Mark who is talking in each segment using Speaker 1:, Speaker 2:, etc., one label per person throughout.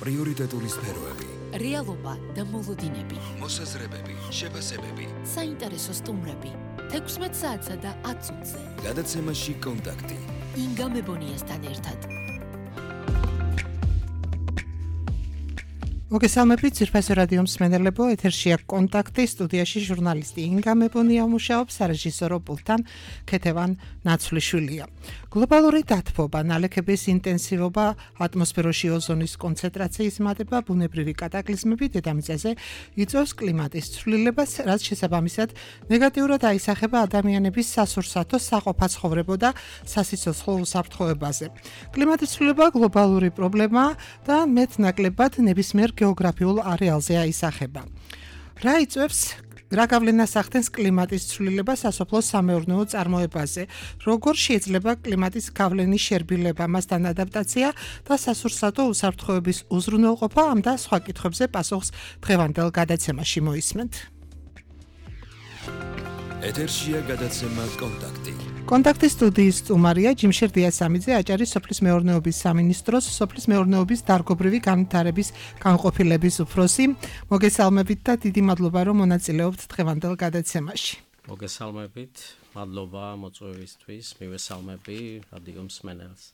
Speaker 1: პრიორიტეტული სფეროები,
Speaker 2: რეალობა და მოლოდინები,
Speaker 1: მოსაზრებები, შეფასებები,
Speaker 2: საინტერესო სტუმრები, 16 საათსა და 10 წუთზე.
Speaker 1: გადაცემაში კონტაქტი.
Speaker 2: ინგა მებონიასთან ერთად.
Speaker 3: მოგესალმებით, ძირფასო რადიო მსმენელებო, ეთერშია კონტაქტი, სტუდიაში ჟურნალისტი ინგა მებონია მუშაობს, სარეჟისორო პულტთან ქეთევან ნაცვლიშვილია. გლობალური დათბობა, ნალექების ინტენსივობა, ატმოსფეროში ოზონის კონცენტრაციის მატება, ბუნებრივი კატაკლიზმები დედამიწაზე იწვევს კლიმატის ცვლილებას, რაც შესაბამისად ნეგატიურად აისახება ადამიანების სასურსათო, საყოფაცხოვრებო და სასიცოცხლო უსაფრთხოებაზე. კლიმატის ცვლილება გლობალური პრობლემაა და მეტნაკლებად ნებისმიერ გეოგრაფიულ არეალზე აისახება. რა გავლენას ახდენს კლიმატის ცვლილება სასოფლო-სამეურნეო წარმოებაზე? როგორ შეიძლება კლიმატის გავლენის შერბილება, მასთან ადაპტაცია და სასურსათო უსაფრთხოების უზრუნველყოფა ამ და სხვა კითხვებზე პასუხს დღევანდელ გადაცემაში მოისმენთ.
Speaker 1: ეთერშია გადაცემა კონტაქტი.
Speaker 3: კონტაქტის სტუდიის სტუმარია ჯიმშერ დიასამიძე, აჭარის სოფლის მეურნეობის სამინისტროს სოფლის მეურნეობის დარგობრივი განვითარების განყოფილების უფროსი. მოგესალმებით და დიდი მადლობა, რომ მონაწილეობთ დღევანდელ გადაცემაში.
Speaker 4: მოგესალმებით, მადლობა მოწვევისთვის, მივესალმები რადიო მსმენელს.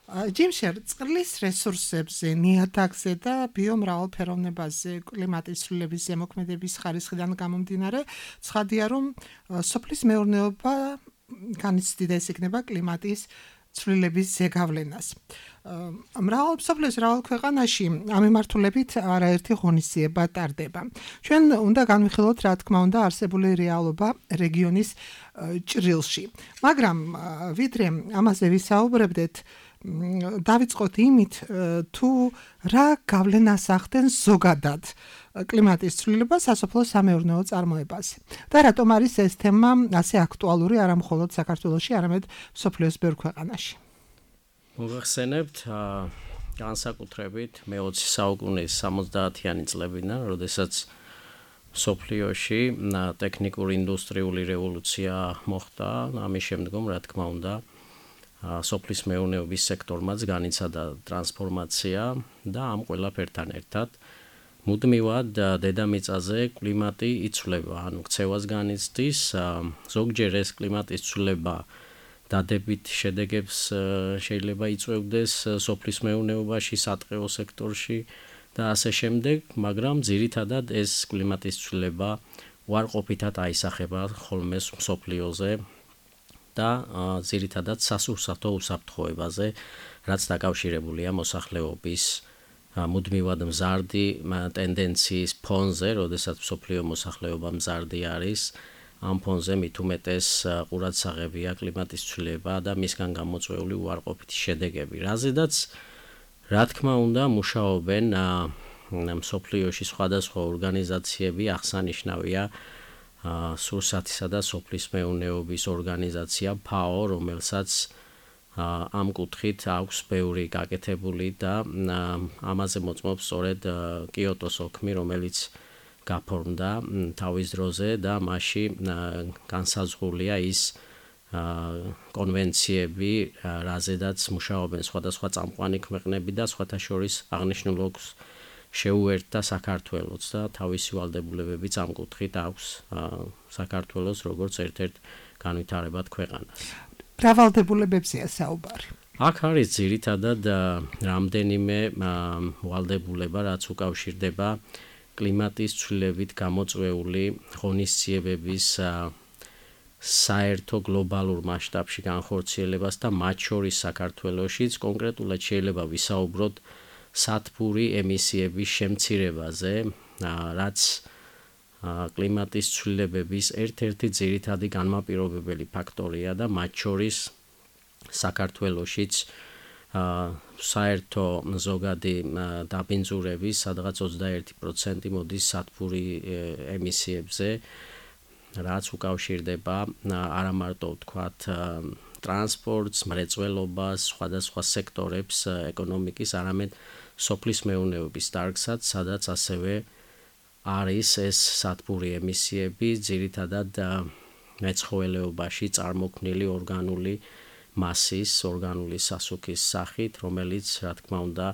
Speaker 3: ჯიმშერ, წყლის რესურსებზე, ნიადაგზე და ბიომრავალფეროვნებაზე კლიმატის ცვლილების ზემოქმედების ხარისხიდან გამომდინარე, ცხადია, რომ სოფლის მეურნეობა განიცდიდეს იქნება კლიმატის ცვლილების ზეგავლენას. მსოფლიოს მრავალ ქვეყანაში ამ მიმართულებით არაერთი ღონისძიება ტარდება. ჩვენ უნდა განვიხილოთ, რა თქმა უნდა, არსებული რეალობა რეგიონის ჭრილში. მაგრამ ვიდრე ამაზე ვისაუბრებდეთ, დავიწყოთ იმით, თუ რა გავლენას ახდენს ზოგადად კლიმატის ცვლილება სასოფლო-სამეურნეო წარმოებაზე. და რატომ არის ეს თემა ასე აქტუალური არა მხოლოდ საქართველოში, არამედ მსოფლიოს ბევრ ქვეყანაში?
Speaker 4: მოგახსენებთ, განსაკუთრებით მე-20 საუკუნის 70-იანი წლებიდან, როდესაც მსოფლიოში ტექნიკური ინდუსტრიული რევოლუცია მოხდა, ამის შემდგომ, რა თქმა უნდა, სოფლის მეურნეობის სექტორმაც განიცადა ტრანსფორმაცია და ამ ყველაფერთან ერთად მუდმივად დედამიწაზე კლიმატი იცვლება, ანუ ქცევას განიცდის, ზოგჯერ ეს კლიმატის ცვლილება დადებით შედეგებს შეიძლება იწვევდეს სოფლის მეურნეობაში, სატყეო სექტორში და ასე შემდეგ, მაგრამ ძირითადად ეს კლიმატის ცვლილება უარყოფითად აისახება ხოლმე მსოფლიოზე და ძირითადად სასურსათო უსაფრთხოებაზე, რაც დაკავშირებულია მოსახლეობის მუდმივად მზარდი ტენდენციის ფონზე, როდესაც მსოფლიო მოსახლეობა მზარდი არის, ამ ფონზე მით უმეტეს ყურადსაღებია კლიმატის ცვლილება და მისგან გამოწვეული უარყოფითი შედეგები. რაზედაც, რა თქმა უნდა, მუშაობენ მსოფლიოში სხვადასხვა ორგანიზაციები, აღსანიშნავია სურსათისა და სოფლის მეურნეობის ორგანიზაცია FAO, რომელსაც ამ კუთხით აქვს ბევრი გაკეთებული და ამაზე მოწმობს სწორედ კიოტოს ოქმი, რომელიც გაფორმდა თავის დროზე და მასში განსაზღვრულია ის კონვენციები, რაზედაც მუშაობენ სხვადასხვა წამყვანი ქვეყნები და სხვათა შორის აღნიშნულ ოლქს შეუერთდა საქართველოს და თავისი ვალდებულებებიც ამ კუთხით აქვს საქართველოს როგორც ერთ-ერთ განვითარებად ქვეყანას.
Speaker 3: რა ვალდებულებებზეა საუბარი?
Speaker 4: აქ არის ძირითადად რამდენიმე ვალდებულება, რაც უკავშირდება კლიმატის ცვლილებით გამოწვეული ღონისძიებების საერთო გლობალურ მასშტაბში განხორციელებას და მათ შორის საქართველოშიც კონკრეტულად შეიძლება ვისაუბროთ სათბური ემისიების შემცირებაზე, რაც კლიმატის ცვლილებების ერთ-ერთი ძირითადი განმაპირობებელი ფაქტორია და მათ შორის საქართველოშიც საერთო ზოგადი დაბინძურების სადღაც 21% მოდის სათბური ემისიებზე, რაც უკავშირდება არა მარტო ვთქვათ ტრანსპორტს, მრეწველობას, სხვადასხვა სექტორებს ეკონომიკის, არამედ სოფლის მეურნეობის დარგსაც, სადაც ასევე არის ეს სათბური ემისიები ძირითადად მეცხოველეობაში წარმოქმნილი ორგანული მასის, ორგანული სასუქის სახით, რომელიც, რა თქმა უნდა,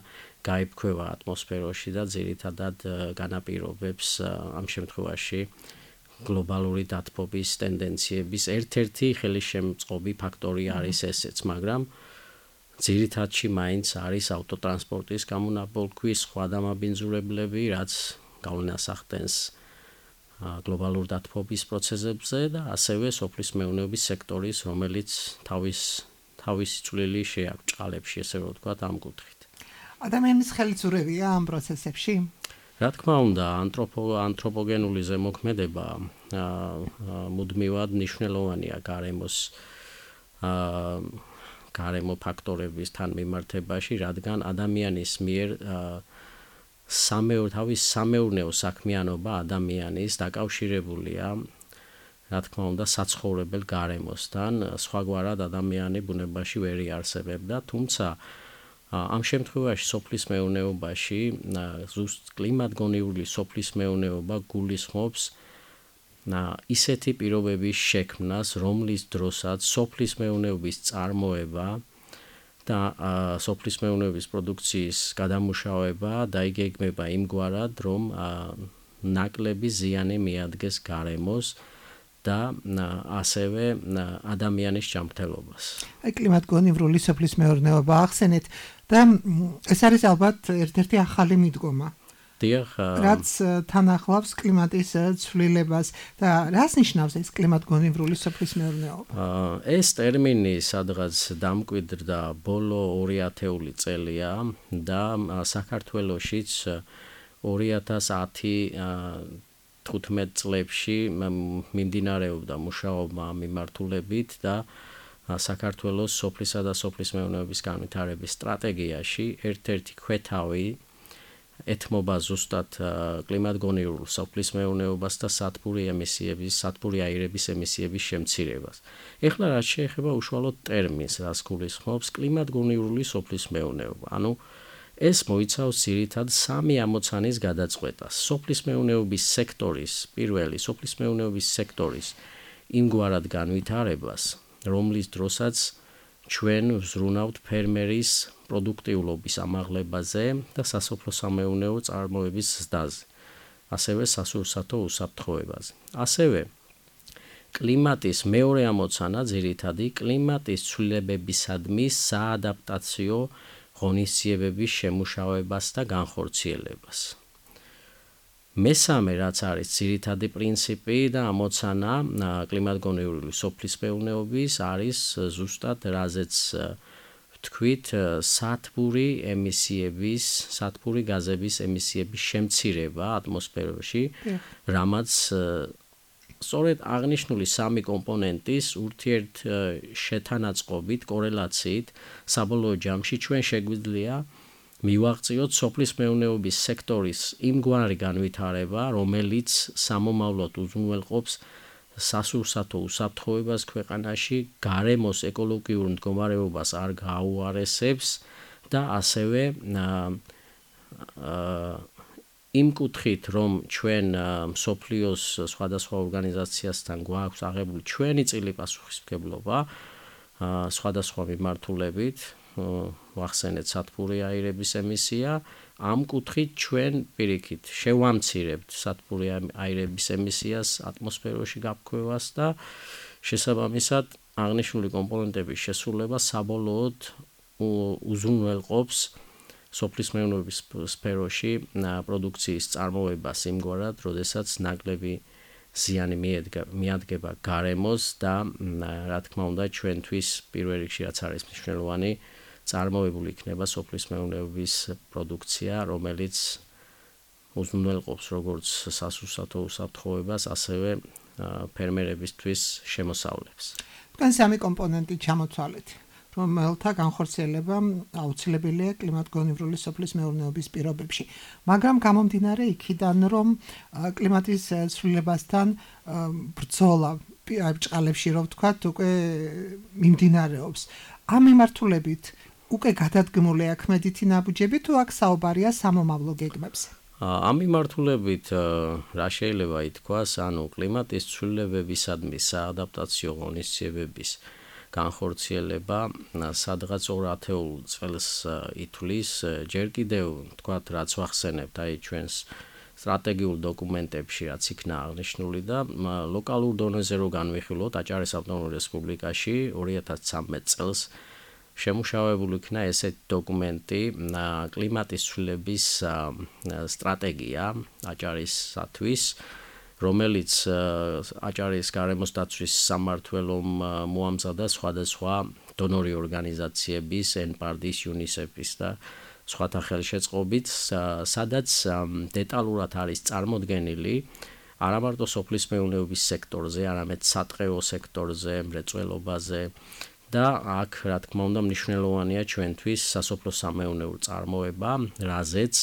Speaker 4: გაიფქვევა ატმოსფეროში და ძირითადად განაპირობებს ამ შემთხვევაში გლობალური დათბობის ტენდენციების ერთ-ერთი ხელისშემწყობი ფაქტორი არის ესეც, მაგრამ ძირითადში მაინც არის ავტოტრანსპორტის გამონაბოლქვის სხვა დამაბინძურებლები, რაც გავლენას ახდენს გლობალურ დათბობის პროცესებზე და ასევე სოფლის მეურნეობის სექტორის, რომელიც თავისი წვლილი შეაქვს ჭყალებში, ესე რომ ვთქვათ, ამ კუთხით.
Speaker 3: ადამიანის ხელისურევია ამ პროცესებში?
Speaker 4: რა თქმა უნდა, ანთროპოგენული ზემოქმედება მუდმივად მნიშვნელოვანია გარემო ფაქტორების თანმიმართებაში, რადგან ადამიანის მიერ თავის სამეურნეო საქმიანობა ადამიანის დაკავშირებულია, რა თქმა უნდა, საცხოვრებელ გარემოსთან, სხვაგვარად ადამიანი ბუნებაში ვერ იარსებებდა, თუმცა ამ შემთხვევაში სოფლის მეურნეობაში ზუსტ კლიმატგონივრული სოფლის მეურნეობა გულისხმობს ისეთი პირობების შექმნას, რომლის დროსაც სოფლის მეურნეობის წარმოება და სოფლის მეურნეობის პროდუქციის გადამუშავება დაიგეგმება იმგვარად, რომ ნაკლები ზიანი მიადგეს გარემოს და ასევე ადამიანის ჯანმრთელობას.
Speaker 3: აი კლიმატგონივრული სოფლის მეურნეობა ახსენეთ და ეს არის ალბათ ერთ-ერთი ახალი მიდგომა. რაც თან ახლავს კლიმატის ცვლილებას და რას ნიშნავს ეს კლიმატგონივრული სოფლის მეურნეობა?
Speaker 4: ეს ტერმინი სადღაც დამკვიდრდა ბოლო 2000-ული წელია და საქართველოშიც 2010-15 წლებში მიმდინარეობდა მუშაობა ამ მიმართულებით და საქართველოს სოფლისა და სოფლის მეურნეობის განვითარების სტრატეგიაში ერთ-ერთი ქვეთავი ეთმობა ზუსტად კლიმატგონივრულ სოფლის მეურნეობას და სათბური აირების ემისიების შემცირებას. ეხლა რაც შეეხება უშუალოდ ტერმინს, რაც გულისხმობს კლიმატგონივრული სოფლის მეურნეობა. ანუ ეს მოიცავს ძირითადად სამი ამოცანის გადაწყვეტას. სოფლის მეურნეობის სექტორის იმგვარად განვითარებას, რომლის დროსაც ჩვენ ვზრუნავთ ფერმერის პროდუქტიულობის ამაღლებაზე და სასოფლო-სამეურნეო წარმოების ზრდაზე, ასევე სასურსათო უსაფრთხოებაზე. ასევე კლიმატის მეორე ამოცანა ძირითადი კლიმატის ცვლილებებისადმი საადაპტაციო ღონისძიებების შემუშავებას და განხორციელებას. მესამე, რაც არის ძირითადი პრინციპი და ამოცანა კლიმატგონივრული სოფლის მეურნეობის, არის ზუსტად რაზეც ვთქვით, სათბური გაზების ემისიების შემცირება ატმოსფეროში, რამაც სწორედ აღნიშნული სამი კომპონენტის ურთიერთშეთანაწყობით, კორელაციით საბოლოო ჯამში ჩვენ შეგვიძლია მივაღწიოთ სოფლის მეურნეობის სექტორის იმგვარი განვითარება, რომელიც სამომავლოდ უზრუნველყოფს სასურსათო უსაფრთხოებას ქვეყანაში, გარემოს ეკოლოგიურ მდგომარეობას არ გააუარესებს და ასევე იმ კუთხით, რომ ჩვენ მსოფლიოს სხვადასხვა ორგანიზაციასთან გვაქვს აღებული ჩვენი წილი პასუხისმგებლობა სხვადასხვა მიმართულებით, ვახსენეთ სათბური აირების ემისია, ამ კუთხით ჩვენ პირიქით შევამცირებთ სათბური აირების ემისიას ატმოსფეროში გაფრქვევას და შესაბამისად აღნიშნული კომპონენტების შესრულება საბოლოოდ უზრუნველყოფს სოფლის მეურნეობის სფეროში პროდუქციის წარმოებას იმგვარად, როდესაც ნაკლები ზიანი მიადგება გარემოს და რა თქმა უნდა ჩვენთვის პირველ რიგში რაც არის მნიშვნელოვანი წარმოებული იქნება სოფლის მეურნეობის პროდუქცია, რომელიც უზრუნველყოფს როგორც სასურსათო უსაფრთხოებას, ასევე ფერმერებისთვის შემოსავლებს.
Speaker 3: თქვენ სამი კომპონენტი ჩამოთვალეთ, რომელთა განხორციელება აუცილებელია კლიმატგონივრული სოფლის მეურნეობის პირობებში. მაგრამ გამომდინარე იქიდან, რომ კლიმატის ცვლილებასთან ბრძოლა ჭყალებში, რომ ვთქვათ, უკვე მიმდინარეობს. ამ მიმართულებით უკვე გადადგმული აქვს მედითი ნაბუჯები თუ აქ საუბარია სამომავლო გეგმებზე?
Speaker 4: ამ მიმართულებით რა შეიძლება ითქვას, ანუ კლიმატის ცვლილებებისადმი საადაპტაციო ღონისძიებების განხორციელება სადღაც 2 წელს ითვლის ჯერ კიდევ თქვათ რაც ვახსენებთ აი ჩვენს სტრატეგიულ დოკუმენტებში რაც იქნა აღნიშნული და ლოკალურ დონეზე რო განვიხილოთ აჭარის ავტონომურ რესპუბლიკაში 2013 წელს შემუშავებული იქნა ესეთი დოკუმენტი კლიმატის ცვლილების სტრატეგია აჭარისათვის რომელიც აჭარის გარემოს დაცვის სამმართველომ მოამზადა სხვადასხვა დონორი ორგანიზაციების, NPARD-ის, UNICEF-ის და სხვათა ხელშეწყობით, სადაც დეტალურად არის წარმოდგენილი არა მარტო სოფლის მეურნეობის სექტორზე, არამედ სატყეო სექტორზე, მრეწველობაზე და აქ, რა თქმა უნდა, მნიშვნელოვანია ჩვენთვის სასოფლო-სამეურნეო წარმოება, რაზეც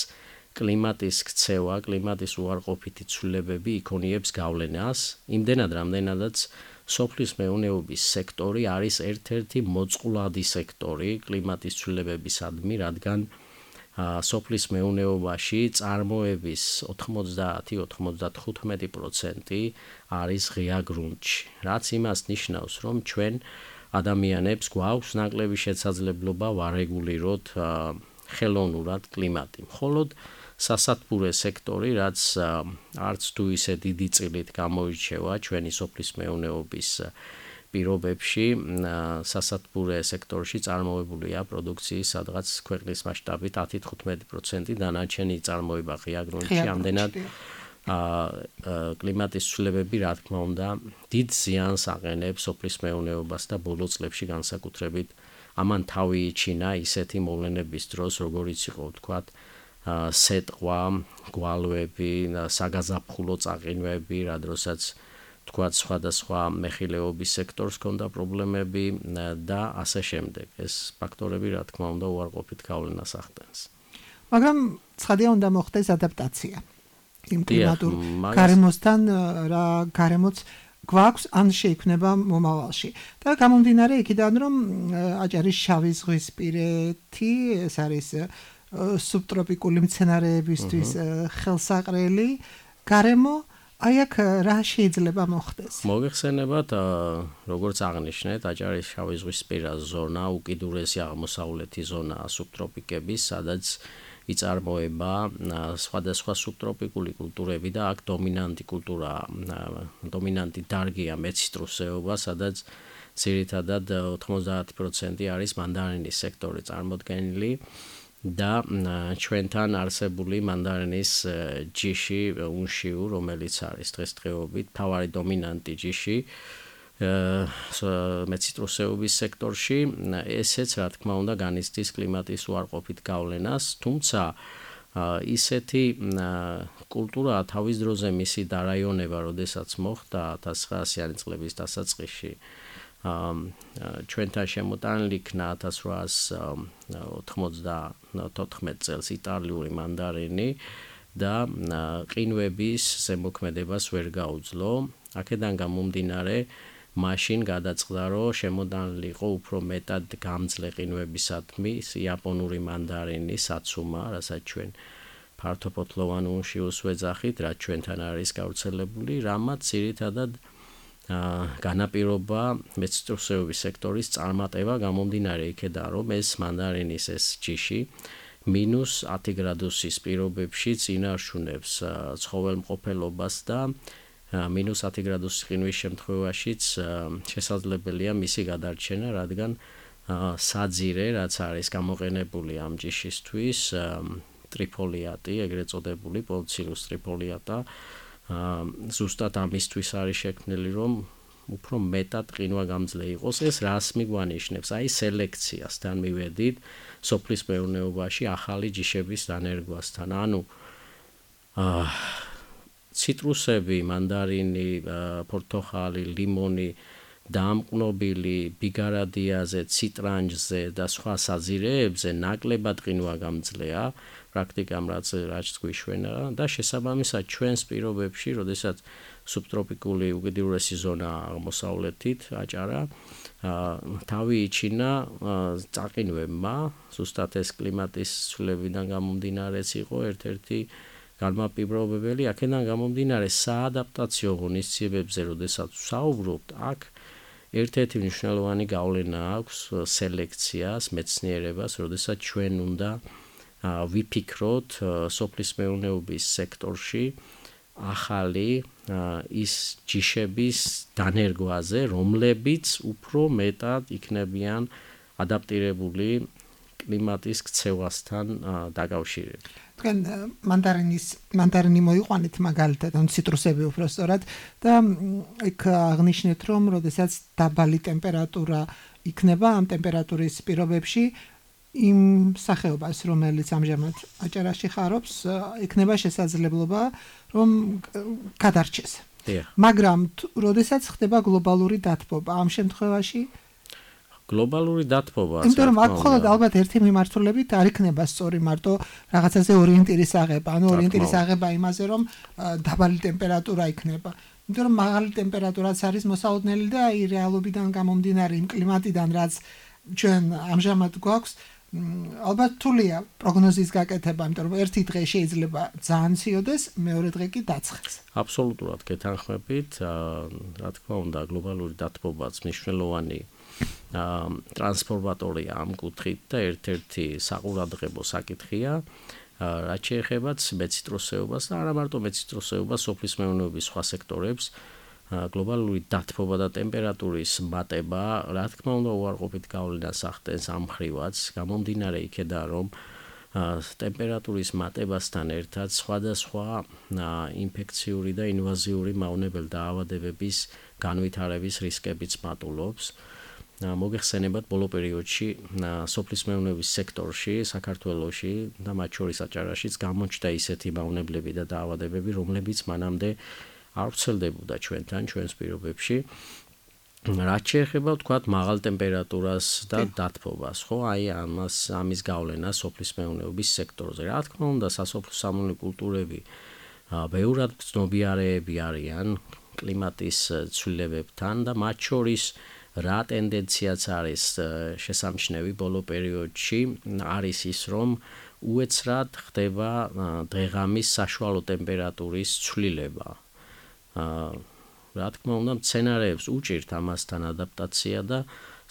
Speaker 4: კლიმატის ქცევა, კლიმატის უარყოფითი ცვლილებები იქონიებს გავლენას, იმდენად, რამდენადაც სოფლის მეურნეობის სექტორი არის ერთ-ერთი მოწყვლადი სექტორი კლიმატის ცვლილებებისადმი, რადგან სოფლის მეურნეობაში წარმოების 90-95% არის ღია გრუნტში, რაც იმას ნიშნავს, რომ ჩვენ ადამიანებს გვაქვს ნაკლები შესაძლებლობა ვარეგულიროთ ხელოვნურად კლიმატი. მხოლოდ სასათბურე სექტორი, რაც არც თუ ისე დიდი წილით გამოირჩევა ჩვენი სოფლის მეურნეობის პირობებში, სასათბურე სექტორში წარმოებულია პროდუქციის სადღაც ქვეყნის მასშტაბით 10-15%, დანარჩენი წარმოება ღია გრუნტში, ამდენად კლიმატის ცვლილებები, რა თქმა უნდა, დიდ ზიანს აყენებს სოფლის მეურნეობას და ბოლო წლებში განსაკუთრებით ამან თავი იჩინა ისეთი მოვლენების დროს, როგორიც იყო, თქვათ, სეტყვა, გვალვები, საგაზაფხულო წაყინვები, რა დროსაც თქვათ სხვადასხვა მეხილეობის სექტორს ჰქონდა პრობლემები და ასე შემდეგ. ეს ფაქტორები, რა თქმა უნდა, უარყოფით გავლენას ახდენს.
Speaker 3: მაგრამ ცხადია უნდა მოხდეს ადაპტაცია იმ კლიმატურ გარემოსთან, რა გარემოც გვაქვს ან შეიქმნება მომავალში. და გამომდინარე იქიდან, რომ აჭარის შავი ზღვისპირეთი, ეს არის სუბტროპიკული მცენარეებისთვის ხელსაყრელი გარემო, აი აქ რა შეიძლება მოხდეს?
Speaker 4: მოგეხსენებათ, როგორც აღნიშნეთ, აჭარის შავი ზღვისპირა ზონა უკიდურესი აღმოსავლეთი ზონაა სუბტროპიკების, სადაც იწარმოება სხვადასხვა სუბტროპიკული კულტურები და აქ დომინანტი დარგია მეციტრუსეობა, სადაც ძირითადად 90% არის მანდარინის სექტორი წარმოდგენილი და ჩვენთან არსებული მანდარინის ჯიში უნშიუ, რომელიც არის დღესდღეობით მთავარი დომინანტი ჯიში მეციტრუსეობის სექტორში, ესეც რა თქმა უნდა განიცდის კლიმატის უარყოფით გავლენას, თუმცა ისეთი კულტურა თავის დროზე მისი დარაიონება, როდესაც მოხდა 1900-იანი წლების დასაწყისში ჩვენთან შემოტანილი იქნა 1894 წელს იტალიური მანდარინი და ყინვების ზემოქმედებას ვერ გაუძლო. აქედან გამომდინარე მაშინ გადაწყდა, რომ შემოდანილი იყო უფრო მეტად გამძლე ყინვებისადმი იაპონური მანდარინი საცუმა, რასაც ჩვენ ფართოფოთლოვან უნშიუს ვეძახით, რაც ჩვენთან არის გავრცელებული, რამაც ძირითადად განაპირობა მეციტრუსეობის სექტორის წარმატება გამომდინარე იქედან, რომ ეს მანდარინის ეს ჯიში -10 გრადუსის პირობებში წინარშუნებს ცხოველმყოფელობას და -10 გრადუსის ყინვის შემთხვევაშიც შესაძლებელია მისი გადარჩენა, რადგან საძირე, რაც არის გამოყენებული ამ ჯიშისთვის, ტრიფოლიატი, ეგრეთ წოდებული პოლიცილუს ტრიფოლიატა, ზუსტად ამისთვის არის შექმნილი, რომ უფრო მეტად ყინვაგამძლე იყოს. ეს რას მიგვანიშნებს? აი სელექციასთან მივედით სოფლის მეურნეობაში ახალი ჯიშების დანერგვასთან. ანუ ციტრუსები, მანდარინი, პორტოხალი, ლიმონი, დამკნობილი, ბიგარადიაზე, ციტრანჯზე და სხვა საძირეებზე ნაკლებად ყინვაგამძლეა, პრაქტიკამ რაც გვიშვენა და შესაბამისად ჩვენს პირობებში, როდესაც სუბტროპიკული უკიდურესი ზონა აღმოსავლეთით აჭარა, თავი იჩინა წაყინვებმა, ზუსტად ეს კლიმატის ცვლილებიდან გამომდინარეც იყო ერთ-ერთი განმაპირობებელი, აქედან გამომდინარე საადაპტაციო ღონისძიებებზე, როდესაც ვსაუბრობთ, აქ ერთ-ერთი მნიშვნელოვანი გავლენა აქვს სელექციას, მეცნიერებას, როდესაც ჩვენ უნდა ვიფიქროთ სოფლის მეურნეობის სექტორში ახალი ის ჯიშების დანერგვაზე, რომლებიც უფრო მეტად იქნებიან ადაპტირებული კლიმატის ქცევასთან დაკავშირებით.
Speaker 3: თქვენ მანდარინი მოიყვანეთ მაგალითად, ან ციტრუსები უბრალოდ და იქ აღნიშნეთ, რომ როდესაც დაბალი ტემპერატურა იქნება ამ ტემპერატურის პირობებში იმ სახეობას, რომელიც ამჟამად აჭარაში ხარობს, იქნება შესაძლებლობა, რომ გადარჩეს. მაგრამ როდესაც ხდება გლობალური დათბობა, ამ შემთხვევაში
Speaker 4: გლობალური დათბობა.
Speaker 3: იმიტომ რომ აქ მხოლოდ ალბათ ერთი მიმართულებით არ იქნება სწორი მარტო რაღაცაზე ორიენტირის აღება, ანუ ორიენტირის აღება იმაზე, რომ დაბალი ტემპერატურა იქნება. იმიტომ რომ მაღალი ტემპერატურაც არის მოსალოდნელი და აი რეალობიდან გამომდინარე იმ კლიმატიდან, რაც ჩვენ ამჟამად გვაქვს, ალბათ თულია პროგნოზის გაკეთება, იმიტომ რომ ერთი დღე შეიძლება ძალიან ციოდეს, მეორე დღე კი დაცხეს.
Speaker 4: აბსოლუტურად გეთანხმებით, რა თქმა უნდა, გლობალური დათბობაც მნიშვნელოვანი ტრანსფორმატორია ამ კუთხით და ერთ-ერთი საყურადღებო საკითხია, რაც შეეხება მეციტრუსეობას და არა მარტო მეციტრუსეობას, სოფლის მეურნეობის სხვა სექტორებს, გლობალური დათბობა და ტემპერატურის მატება, რა თქმა უნდა, უარყოფით გავლენას ახდენს ამ მხრივაც, გამომდინარე იქედან, რომ ტემპერატურის მატებასთან ერთად სხვადასხვა ინფექციური და ინვაზიური მავნებელ დაავადებების განვითარების რისკებიც მატულობს. მოგეხსენებათ ბოლო პერიოდში სოფლის მეურნეობის სექტორში, საქართველოში და მათ შორის აჭარაშიც გამოჩნდა ისეთი მავნებლები და დაავადებები, რომლებიც მანამდე არ ვრცელდებოდა ჩვენთან, ჩვენს პირობებში. რაც შეეხება ვთქვათ მაღალ ტემპერატურას და დათბობას, ხო, აი ამის გავლენა სოფლის მეურნეობის სექტორზე. რა თქმა უნდა, სასოფლო-სამეურნეო კულტურები ბევრად ცნობიერები არიან კლიმატის ცვლილებებთან და მათ შორის რა ტენდენციაც არის შესამჩნევი ბოლო პერიოდში არის ის, რომ უეცრად ხდება დღე-ღამის საშუალო ტემპერატურის ცვლილება. რა თქმა უნდა, მცენარეებს უჭირთ ამასთან ადაპტაცია და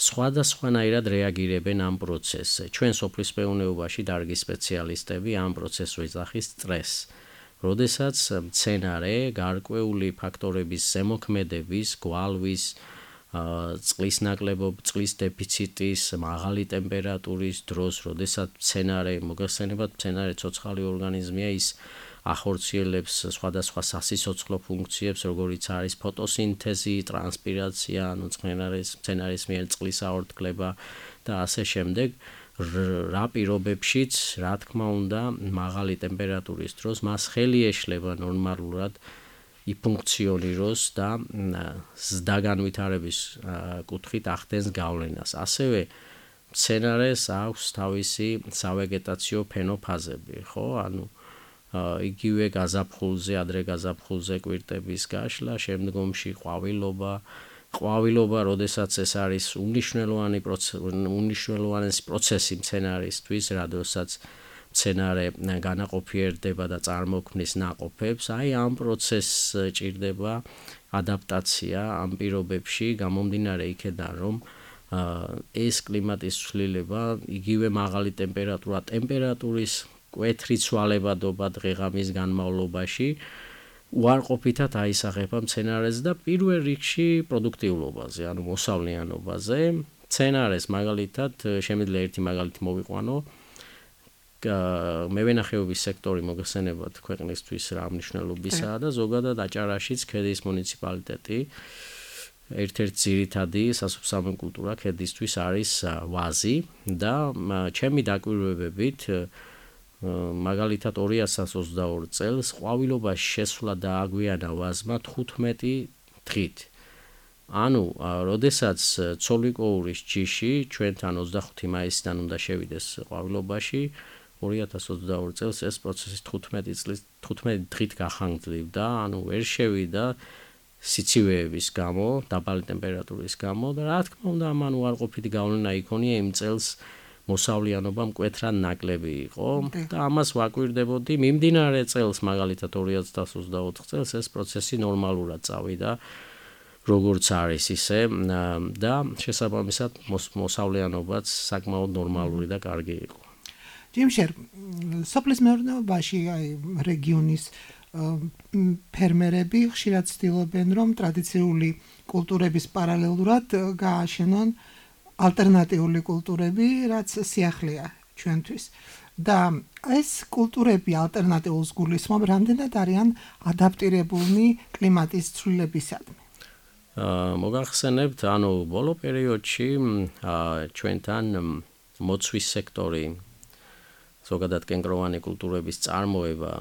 Speaker 4: სხვადასხვანაირად რეაგირებენ ამ პროცესზე. ჩვენ სოფლის მეურნეობაში დარგი სპეციალისტები ამ პროცესს ვეძახის სტრესს. როდესაც მცენარე გარკვეული ფაქტორების ზემოქმედების, გვალვის, წყლის ნაკლებობის, წყლის დეფიციტის, მაღალი ტემპერატურის დროს, როდესაც მოგეხსენებათ, მცენარე ცოცხალი ორგანიზმია, ის ახორციელებს სხვადასხვა სასიცოცხლო ფუნქციებს, როგორიც არის ფოტოსინთეზი, ტრანსპირაცია, ანუ მცენარის მიერ წყლის აორთქლება და ასე შემდეგ. რა პირობებშიც, რა თქმა უნდა, მაღალი ტემპერატურის დროს მას ხელი ეშლება ნორმალურად იფუნქციონიროს და ზრდა განვითარების კუთხით ახდენს გავლენას. ასევე მცენარეს აქვს თავისი სავეგეტაციო ფენოფაზები, ხო? ანუ იგივე გაზაფხულზე, ადრე გაზაფხულზე კვირტების გაშლა, შემდგომში ყვავილობა, როდესაც ეს არის უმნიშვნელოვანესი პროცესი მცენარისთვის, როდესაც მცენარე განაყოფიერდება და წარმოქმნის ნაყოფებს, აი ამ პროცესს ჭირდება ადაპტაცია ამ პირობებში, გამომდინარე იქედან, რომ ეს კლიმატის ცვლილება, იგივე მაღალი ტემპერატურის კვეთრი ცვალებადობა დღე-ღამის განმავლობაში უარყოფითად აისახება მცენარეს და პირველ რიგში პროდუქტიულობაზე, ანუ მოსავლიანობაზე. მცენარეს მაგალითად, შემიძლია ერთი მაგალითი მოვიყვანო. მევენახეობის სექტორი მოგეხსენებათ ქვეყნისთვის რა მნიშვნელობისაა და ზოგადად აჭარაშიც ქედის მუნიციპალიტეტი ერთ-ერთი ძირითადი სასოფლო-სამეურნეო კულტურა ქედისთვის არის ვაზი და ჩემი დაკვირვებებით მაგალითად 2022 წელს ყვავილობაში შესვლა დააგვიანა ვაზმა 15 დღით. ანუ, როდესაც ცოლვიკოურის ჯიში ჩვენთან 25 მაისიდან უნდა შევიდეს ყვავილობაში, 2022 წელს ეს პროცესი 15 დღით გახანგრძლივდა, ანუ ვერ შევიდა სიცივეების გამო, დაბალი ტემპერატურის გამო და რა თქმა უნდა, ამან უარყოფითი გავლენა იქონია იმ წელს მოსავლიანობა მკვეთრად ნაკლები იყო და ამას ვაკვირდებოდი მიმდინარე წელს, მაგალითად 2024 წელს ეს პროცესი ნორმალურად წავიდა. როგორც არის ისე და შესაბამისად მოსავლიანობაც საკმაოდ ნორმალური და კარგი იყო.
Speaker 3: ჯიმშერ, სოფლის მეურნეობაში რეგიონის ფერმერები ხშირად ცდილობენ, რომ ტრადიციული კულტურების პარალელურად გააშენონ ალტერნატიული კულტურები, რაც სიახლეა ჩვენთვის. და ეს კულტურები ალტერნატიულს გულისხმობ, რამდენად არიან ადაპტირებულნი კლიმატის ცვლილებისადმი.
Speaker 4: მოგახსენებთ, ანუ ბოლო პერიოდში ჩვენთან მოცვის სექტორი, ზოგადად კენკროვანი კულტურების წარმოება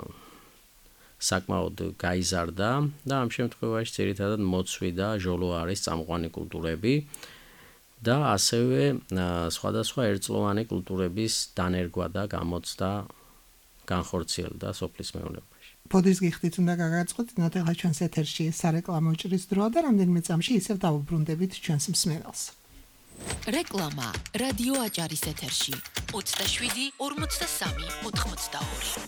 Speaker 4: საკმაოდ გაიზარდა და ამ შემთხვევაში ძირითადად მოცვი და ჟოლო არის წამყვანი კულტურები და ასევე სხვადასხვა ერთწლოვანი კულტურების დანერგვა და გამოცდა განხორციელდა სოფლის მეურნეობაში.
Speaker 3: ბოდის გიხდით უნდა გაგაწყოთ, ნატეხა ჩვენს ეთერში სარეკლამო ჭრის დროა და რამდენიმე წამში ისევ დავუბრუნდებით ჩვენს მსმენელს.
Speaker 2: რეკლამა რადიო აჭარის ეთერში 27 43 82.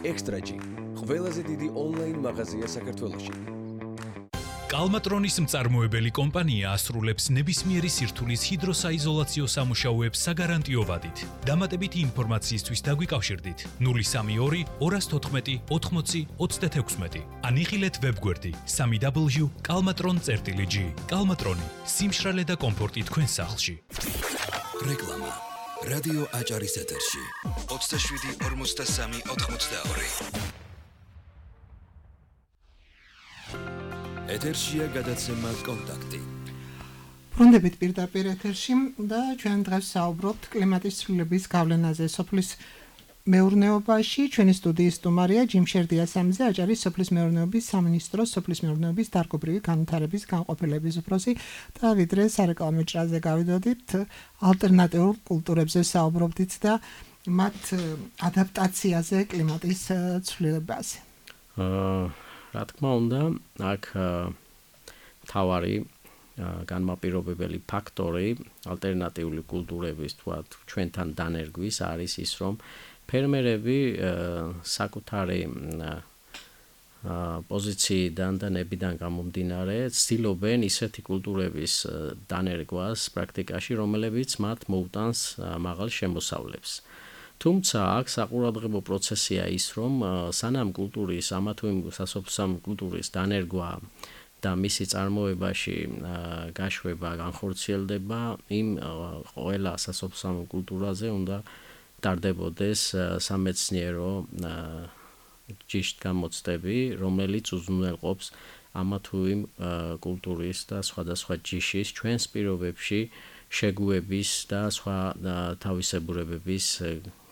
Speaker 1: ექსტრაჯი ყველაზე დიდი ონლაინ მაღაზია საქართველოში.
Speaker 5: კალმატრონის მწარმოებელი კომპანია ასრულებს ნებისმიერი სირთულის ჰიდროსაიზოლაციო სამუშაოებს საგარანტიო ვადით. დამატებითი ინფორმაციისთვის დაგვიკავშირდით 032 214 80 36 ან იხილეთ ვებგვერდი www.kalmatron.gr. კალმატრონი, სიმშრალე და კომფორტი თქვენ სახლში.
Speaker 1: რეკლამა რადიო აჭარის ეთერში 27 43 82. ეთერშია გადაცემა კონტაქტი.
Speaker 3: ბრუნდებით პირდაპირ ეთერში და ჩვენ დღეს საუბრობთ კლიმატის ცვლილების გავლენაზე სოფლის მეურნეობაში. ჩვენი სტუდიის სტუმარია ჯიმშერ დიასამიძე, აჭარის სოფლის მეურნეობის სამინისტროს სოფლის მეურნეობის დარგობრივი განვითარების განყოფილების უფროსი და ვიდრე სარეკლამო ჭრაზე გავიდოდით, ალტერნატიულ კულტურებზე საუბრობდით და მათ ადაპტაციაზე კლიმატის ცვლილებაზე.
Speaker 4: რა თქმა უნდა, აქ თავარი განმაპირობებელი ფაქტორი ალტერნატიული კულტურების თქვათ ჩვენთან დანერგვის არის ის, რომ ფერმერები საკუთარი პოზიციიდან და ნებიდან გამომდინარე ცდილობენ ისეთი კულტურების დანერგვას პრაქტიკაში, რომლებიც მათ მოუტანს მაღალ შემოსავლებს. თუმცა აქ საყურადღებო პროცესია ის, რომ სანამ კულტურის ამა თუ იმ სასოფლო კულტურის დანერგვა და მისი წარმოებაში გაშვება განხორციელდება, იმ ყველა სასოფლო კულტურაზე უნდა ტარდებოდეს სამეცნიერო ჯიშტგამოცდები, რომელიც უზრუნველყოფს ამა თუ იმ კულტურის და სხვადასხვა ჯიშის ჩვენს პირობებში შეგუების და სხვა თავისებურებების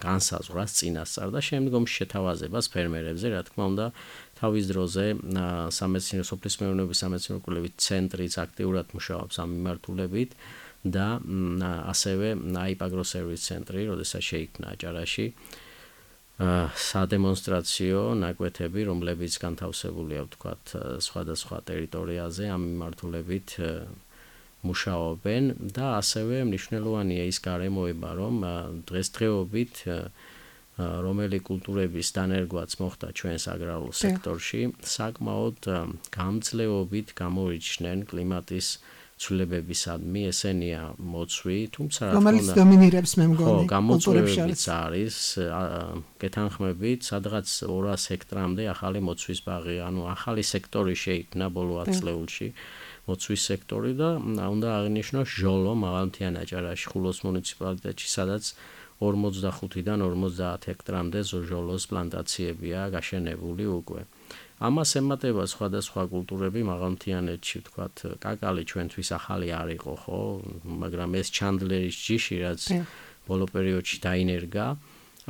Speaker 4: განსაზღვრას წინასწარ და შემდგომში შეთავაზებას ფერმერებზე, რა თქმა უნდა, თავის დროზე სამეცნიერო სოფლის მეურნეობის სამეცნიერო კვლევით ცენტრიც აქტიურად მუშაობს ამ მიმართულებით და ასევე აიპაგროსერვის ცენტრი, როდესაც შეიქმნა აჭარაში სადემონსტრაციო ნაკვეთები, რომლებიც განთავსებულია, ვთქვათ, სხვადასხვა ტერიტორიაზე ამ მიმართულებით მუშაობენ და ასევე მნიშვნელოვანია ის გარემოება, რომ დღესდღეობით რომელი კულტურების დანერგვაც მოხდა ჩვენს აგრარულ სექტორში, საკმაოდ გამძლეობით გამორიჩნენ კლიმატის ცვლილებებისადმი, ესენია მოცვი, თუმცა რა თქმა
Speaker 3: უნდა, რომელიც დომინირებს მე მგონი
Speaker 4: კულტურებიც არის, გეთანხმებით, სადღაც 200 ჰექტრამდე ახალი მოცვის ბაღი, ანუ ახალი სექტორი შეიქმნა ბოლო 10 წლებში. მოცვის სექტორი და უნდა აღინიშნოს ჟოლო მაღალმთიან აჭარაში ხულოს მუნიციპალიტეტში, სადაც 45-დან 50 ჰექტრამდე ჟოლოს პლანტაციებია გაშენებული უკვე. ამას ემატება სხვადასხვა კულტურები მაღალმთიანეთში, ვთქვათ, კაკალი ჩვენთვის ახალი არ იყო, ხო, მაგრამ ეს ჩანდლერის ჯიში, რაც ბოლო პერიოდში დაინერგა,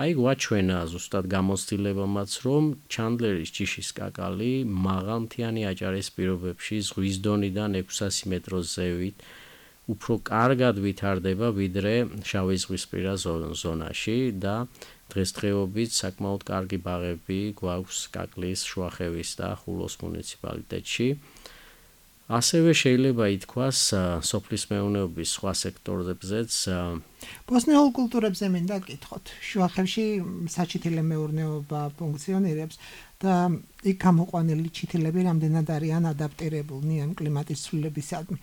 Speaker 4: აი გვაჩვენა ზუსტად გამოცდილებამაც, რომ ჩანდლერის ჯიშის კაკალი მაღალმთიანი აჭარის პირობებში ზღვის დონიდან 600 მეტროს ზევით უფრო კარგად ვითარდება ვიდრე შავი ზღვისპირა ზონაში და დღესდღეობით საკმაოდ კარგი ბაღები გვაქვს კაკლის, შუახევის და ხულოს მუნიციპალიტეტში. ასევე შეიძლება ითქვას სოფლის მეურნეობის სხვა სექტორებზეც.
Speaker 3: ბოსნიურ კულტურებზე მინდა გითხოთ. შუახევში საჩითილე მეურნეობა ფუნქციონირებს და იქ გამოყვანილი ჩითილები რამდენად არიან ადაპტირებულნი ამ კლიმატის ცვლილებისადმი.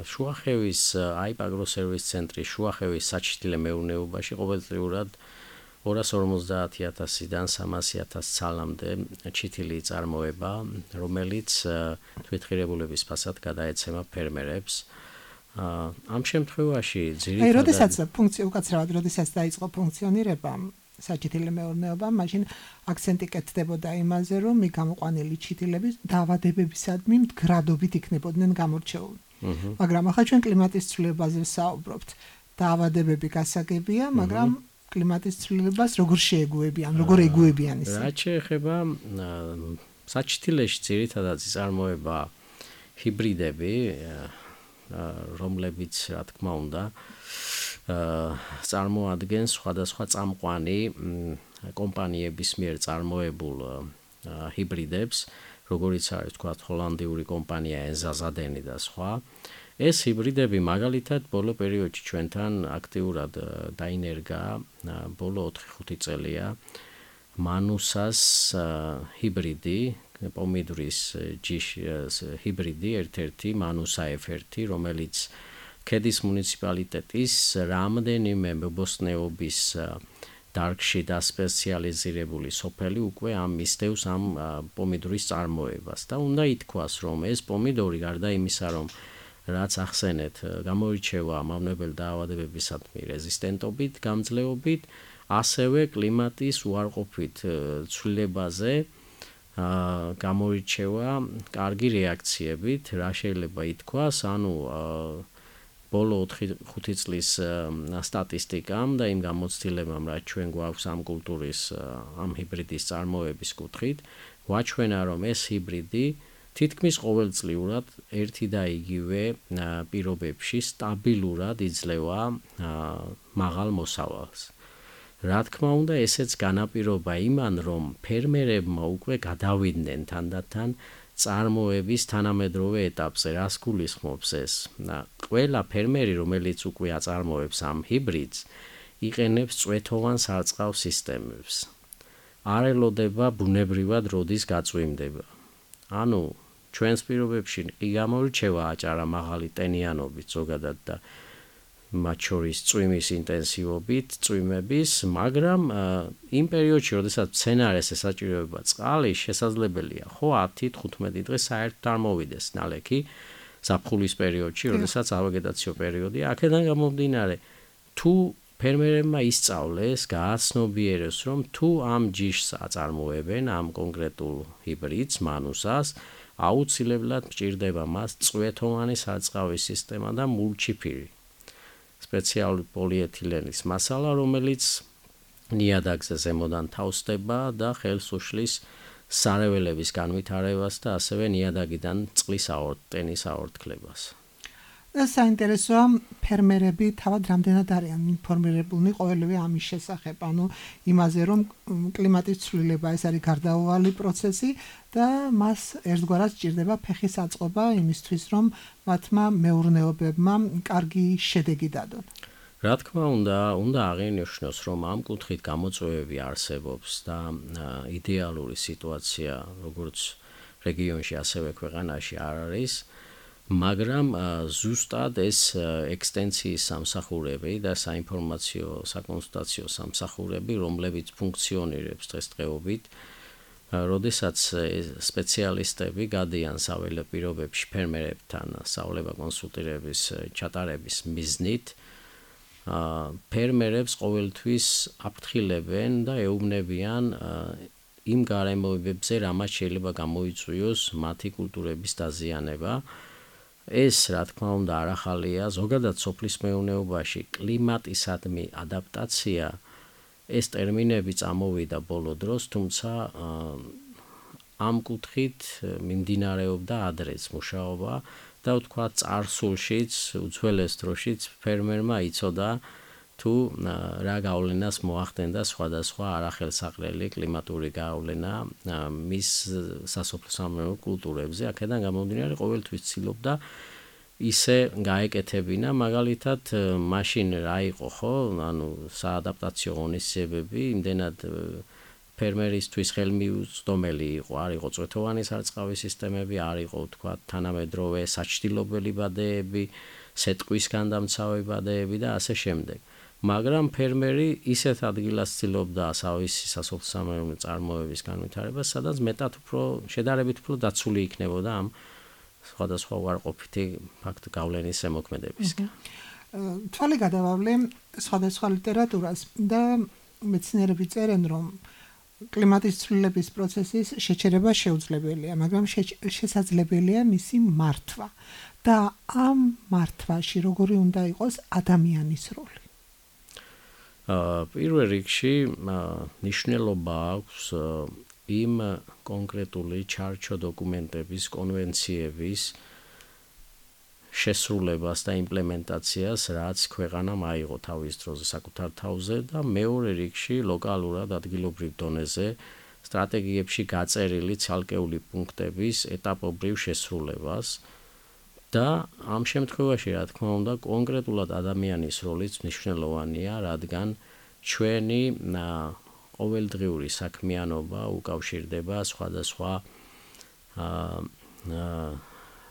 Speaker 4: შუახევის აიპაგროსერვის ცენტრის შუახევის საჩითილე მეურნეობაში ყოველწლიურად 250,000-დან 300,000 ცალამდე ჩითილი წარმოება, რომელიც თვითღირებულების ფასად გადაეცემა ფერმერებს. ამ შემთხვევაში ძირითადად
Speaker 3: როდესაც დაიწყო ფუნქციონირება საჩითილე მეურნეობა, მაშინ აქცენტი კეთდებოდა იმაზე, რომ გამოყვანილი ჩითილები დაავადებებისადმი მდგრადობით იქნებოდნენ გამორჩეული. მაგრამ ახლა ჩვენ კლიმატის ცვლილებაზე ვსაუბრობთ. დაავადებები გასაგებია, მაგრამ კლიმატის ცვლილებას როგორ შეეგუებიან, როგორ ეგუებიან ისე?
Speaker 4: რაც შეეხება საჩითილეში ძირითადად იწარმოება ჰიბრიდები, რომლებიც, რა თქმა უნდა, წარმოადგენს სხვადასხვა წამყვანი კომპანიების მიერ წარმოებულ ჰიბრიდებს, როგორიც არის თქვათ ჰოლანდიური კომპანია ენზაზადენი და სხვა. ეს ჰიბრიდები მაგალითად ბოლო პერიოდში ჩვენთან აქტიურად დაინერგა, ბოლო 4-5 წელია მანუსას ჰიბრიდი, პომიდრის ჯიშის ჰიბრიდი, ერთ-ერთი მანუსა F1, რომელიც ქედის მუნიციპალიტეტის რამდენიმე მებოსტნეობის დარგში დასპეციალიზირებული სოფელი უკვე მისდევს ამ პომიდორის წარმოებას და უნდა ითქვას, რომ ეს პომიდორი გარდა იმისა, რომ რაც ახსენეთ, გამოირჩევა მავნებელ დაავადებებისადმი რეზისტენტობით, გამძლეობით, ასევე კლიმატის უარყოფით ცვლილებაზე გამოირჩევა კარგი რეაქციებით, რა შეიძლება ითქვას, ბოლო 4-5 წლის სტატისტიკამ და იმ გამოცდილებამ, რაც ჩვენ გვაქვს ამ კულტურის, ამ ჰიბრიდის წარმოების კუთხით, ვაჩვენა, რომ ეს ჰიბრიდი თითქმის ყოველწლიურად ერთი და იგივე პირობებში სტაბილურად იძლევა მაღალ მოსავალს. რა თქმა უნდა, ესეც განაპირობა იმან, რომ ფერმერებმა უკვე გადავიდნენ თანდათან წარმოების თანამედროვე ეტაპზე, რას გულისხმობს ეს? ყველა ფერმერი, რომელიც უკვე აწარმოებს ამ ჰიბრიდს, იყენებს წვეთოვან სარწყავ სისტემებს. არ ელოდება ბუნებრივად როდის გაწვიმდება. ჩვენს პირობებში კი გამოირჩევა აჭარა მაღალი ტენიანობით ზოგადად და მათ შორის წვიმის ინტენსივობით, წვიმების, მაგრამ იმ პერიოდში, როდესაც მცენარეს ესაჭიროება წყალი, შესაძლებელია, 10-15 დღე საერთოდ არ მოვიდეს ნალექი ზაფხულის პერიოდში, როდესაც ავეგეტაციო პერიოდია. აქედან გამომდინარე, თუ ფერმერებმა ისწავლეს, გააცნობიერეს, რომ თუ ამ ჯიშს აწარმოებენ, ამ კონკრეტულ ჰიბრიდს, მანუსას, აუცილებლად მჭირდება მას წვეთოვანი სარწყავი სისტემა და მულჩიფირი. სპეციალური პოლიეთილენის მასალა, რომელიც ნიადაგზე ზემოდან თავსდება და ხელს უშლის სარეველების განვითარებას და ასევე ნიადაგიდან წყლის ტენის აორთქლებას.
Speaker 3: საინტერესოა, ფერმერები თავად რამდენად არიან ინფორმირებულნი ყოველივე ამის შესახებ, იმაზე, რომ კლიმატის ცვლილება ეს არის გარდაუვალი პროცესი და მას ერთგვარად სჭირდება ფეხის აწყობა იმისთვის, რომ მათმა მეურნეობებმა კარგი შედეგი დადონ.
Speaker 4: რა თქმა უნდა აღინიშნოს, რომ ამ კუთხით გამოწვევები არსებობს და იდეალური სიტუაცია, როგორც რეგიონში, ასევე ქვეყანაში არ არის. მაგრამ ზუსტად ეს ექსტენციის სამსახურები და საინფორმაციო საკონსულტაციო სამსახურები, რომლებიც ფუნქციონირებს დღესდღეობით, როდესაც სპეციალისტები გადიან საველე პირობებში ფერმერებთან საუბრება კონსულტირების ჩატარების მიზნით, ფერმერებს ყოველთვის აფრთხილებენ და ეუბნებიან იმ გარემოებებზე, რამაც შეიძლება გამოიწვიოს მათი კულტურების დაზიანება. ეს, რა თქმა უნდა, არ ახალია, ზოგადად სოფლის მეურნეობაში კლიმატისადმი ადაპტაცია, ეს ტერმინები წამოვიდა ბოლო დროს, თუმცა ამ კუთხით მიმდინარეობდა ადრეც მუშაობა და ვთქვათ, წარსულშიც, უძველეს დროშიც ფერმერმა იცოდა თუ რა გავლენას მოახდენდა სხვადასხვა არახელსაყრელი კლიმატური გავლენა მის სასოფლო-სამეურნეო კულტურებზე. აქედან გამომდინარე, ყოველთვის ცდილობდა ისე გაეკეთებინა, მაგალითად, მაშინ რა იყო, საადაპტაციო ღონისძიებები, იმდენად ფერმერისთვის ხელმიუწვდომელი იყო, არ იყო წვეთოვანი სარწყავი სისტემები, არ იყო თქვა თანამედროვე საჩtildeობელი ბადეები, სეტყვის განდამცავი ბადეები და ასე შემდეგ. მაგრამ ფერმერი ისეთ ადგილას ცდილობდა თავისი სასოფლო-სამეურნეო წარმოების განვითარებას, სადაც მეტად უფრო შედარებით უფრო დაცული იქნებოდა ამ სხვადასხვა უარყოფითი ფაქტ გავლენის ზემოქმედებისგან.
Speaker 3: თვალი გადავავლე სხვადასხვა ლიტერატურას და მეცნიერები წერენ, რომ კლიმატის ცვლილების პროცესის შეჩერება შეუძლებელია, მაგრამ შესაძლებელია მისი მართვა და ამ მართვაში როგორი უნდა იყოს ადამიანის როლი?
Speaker 4: პირველ რიგში ნიშნულობა აქვს იმ კონკრეტული ჩარჩო დოკუმენტების, კონვენციების შესრულებას და იმპლემენტაციას, რაც ქვეყანამ აიღო თავის დროზე საკუთარ თავზე და მეორე რიგში ლოკალურად ადგილობრივ დონეზე სტრატეგიებში გაწერილი ცალკეული პუნქტების ეტაპობრივ შესრულებას და ამ შემთხვევაში, რა თქმა უნდა, კონკრეტულად ადამიანის როლიც მნიშვნელოვანია, რადგან ჩვენი ყოველდღიური საქმიანობა უკავშირდება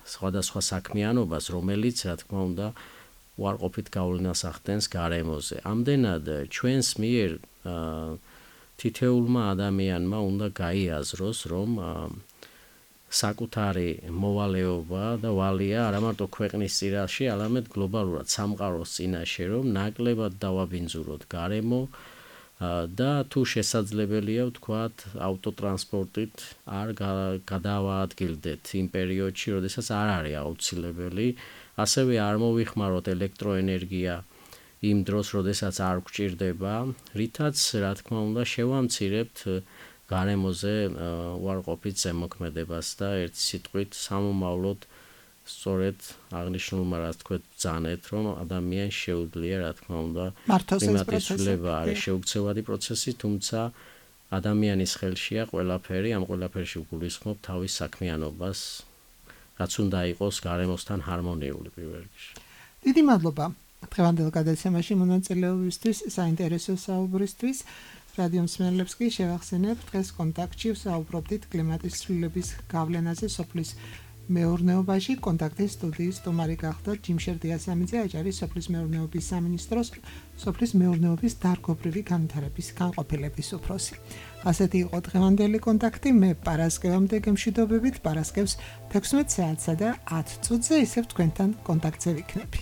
Speaker 4: სხვადასხვა საქმიანობას, რომელიც, რა თქმა უნდა, უარყოფით გავლენას ახდენს გარემოზე. ამდენად ჩვენს მიერ თითოეულმა ადამიანმა უნდა გაიაზროს, რომ საკუთარი მოვალეობა და ვალია არა მარტო ქვეყნის წინაშე, არამედ გლობალურად სამყაროს წინაშე, რომ ნაკლებად დავაბინძუროთ გარემო და თუ შესაძლებელია ვთქვათ ავტოტრანსპორტით არ გადავაადგილდეთ იმ პერიოდში, როდესაც არ არის აუცილებელი, ასევე არ მოვიხმაროთ ელექტროენერგია იმ დროს, როდესაც არ გვჭირდება, რითაც, რა თქმა უნდა, შევამცირებთ გარემოზე უარყოფით ზემოქმედებას და ერთ სიტყვით სამომავლოდ სწორედ აღნიშნულმა რაც თქვენ ბრძანეთ, რომ ადამიანს შეუძლია, რა თქმა უნდა, კლიმატის ცვლილება არის შეუქცევადი პროცესი, თუმცა ადამიანის ხელშია ყველაფერი, ამ ყველაფერში გულისხმობ თავის საქმიანობას, რაც უნდა იყოს გარემოსთან ჰარმონიული პირველ რიგში.
Speaker 3: დიდი მადლობა დღევანდელ გადაცემაში მონაწილეობისთვის, საინტერესო საუბრისთვის. რადიო მსმენელებს კი შევახსენებ, დღეს კონტაქტში ვსაუბრობდით კლიმატის ცვლილების გავლენაზე სოფლის მეურნეობაში. კონტაქტის სტუდიის სტუმარი გახდა ჯიმშერ დიასამიძე, აჭარის სოფლის მეურნეობის სამინისტროს სოფლის მეურნეობის დარგობრივი განვითარების განყოფილების უფროსი. ასეთი იყო დღევანდელი კონტაქტი. მე პარასკევამდე გემშვიდობებით, პარასკევს 16 საათსა და 10 წუთზე ისევ თქვენთან კონტაქტზე ვიქნები.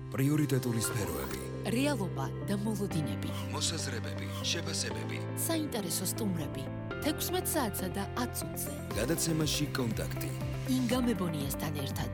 Speaker 1: პრიორიტეტული სფეროები,
Speaker 2: რეალობა და მოლოდინები,
Speaker 1: მოსაზრებები, შეფასებები,
Speaker 2: საინტერესო სტუმრები 16 საათსა და 10 წუთზე.
Speaker 1: გადაცემაში კონტაქტი.
Speaker 2: ინგა მებონიასთან ერთად.